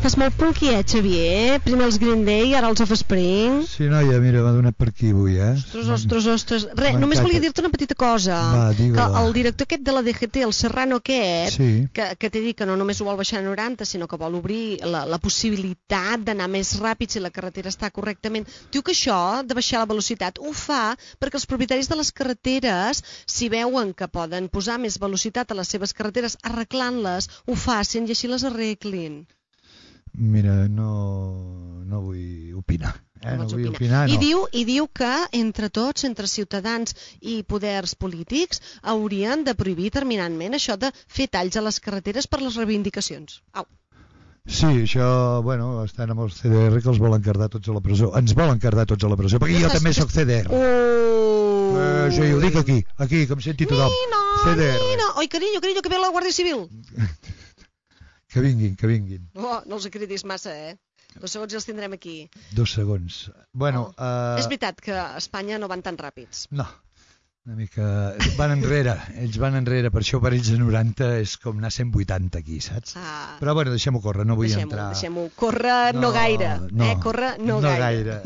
estàs molt punky, Xavier? Primer els Green Day, ara els Offspring. Sí, noia, mira, m'ha donat per aquí avui, Ostres. Res, només volia dir-te una petita cosa. Que el director aquest de la DGT, el Serrano aquest, que t'he dit que no només ho vol baixar a 90, sinó que vol obrir la possibilitat d'anar més ràpid si la carretera està correctament. Diu que això, de baixar la velocitat, ho fa perquè els propietaris de les carreteres, si veuen que poden posar més velocitat a les seves carreteres arreglant-les, ho facin i així les arreglin. Mira, no vull opinar. No vull opinar, no. I diu que entre tots, entre ciutadans i poders polítics, haurien de prohibir terminantment això de fer talls a les carreteres per les reivindicacions. Au. Sí, això, bueno, estan amb els CDR que els volen cardar tots a la presó. Ens volen cardar tots a la presó, perquè jo també sóc CDR. Sí, ho dic aquí, que em senti tothom. Nino. Oi, carinyo, que ve la Guàrdia Civil. Que vinguin. No els cridis massa, 2 segons i els tindrem aquí. 2 segons. Bueno, és veritat que a Espanya no van tan ràpids. No, una mica... Van enrere, ells van enrere, per això per ells a 90 és com anar a 180 aquí, saps? Però bueno, deixem-ho córrer, no vull entrar... Deixem-ho córrer, no gaire. Córrer, no gaire.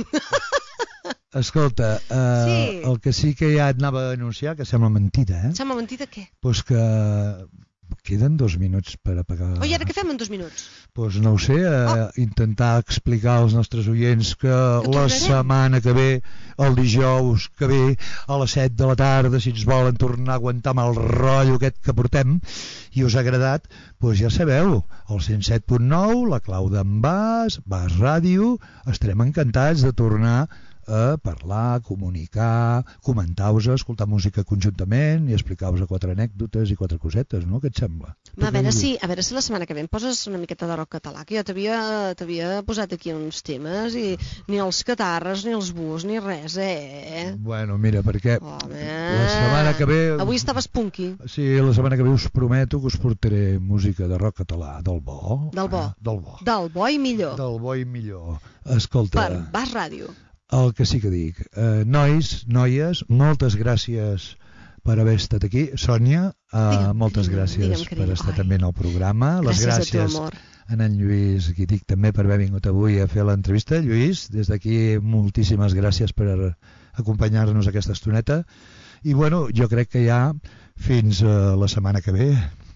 Escolta, el que sí que ja et anava a anunciar, que sembla mentida, Sembla mentida què? Pues que... Queden 2 minuts per apagar... I ara què fem en 2 minuts? Doncs no ho sé, intentar explicar als nostres oients que la setmana que ve, el dijous que ve, a les 7 de la tarda, si ens volen tornar a aguantar amb el rotllo aquest que portem i us ha agradat, doncs ja sabeu, el 107.9, la clau d'en Bas Ràdio, estarem encantats de tornar a parlar, comunicar, comentar-vos, escoltar música conjuntament i explicar-vos 4 anècdotes i 4 cosetes, no? Què et sembla? A veure si la setmana que ve em poses una miqueta de rock català, que jo t'havia posat aquí uns temes i ni els catarres, ni els bus, ni res, Bueno, mira, perquè la setmana que ve... Avui estaves punky. Sí, la setmana que ve us prometo que us portaré música de rock català, del bo. Del bo i millor. Del bo i millor. Escolta... Per Bas Ràdio. El que sí que dic, nois, noies, moltes gràcies per haver estat aquí. Sònia, moltes gràcies per estar també en el programa. Les gràcies a en Lluís, qui dic també, per haver vingut avui a fer l'entrevista. Lluís, des d'aquí moltíssimes gràcies per acompanyar-nos aquesta estoneta. I bueno, jo crec que ja fins la setmana que ve.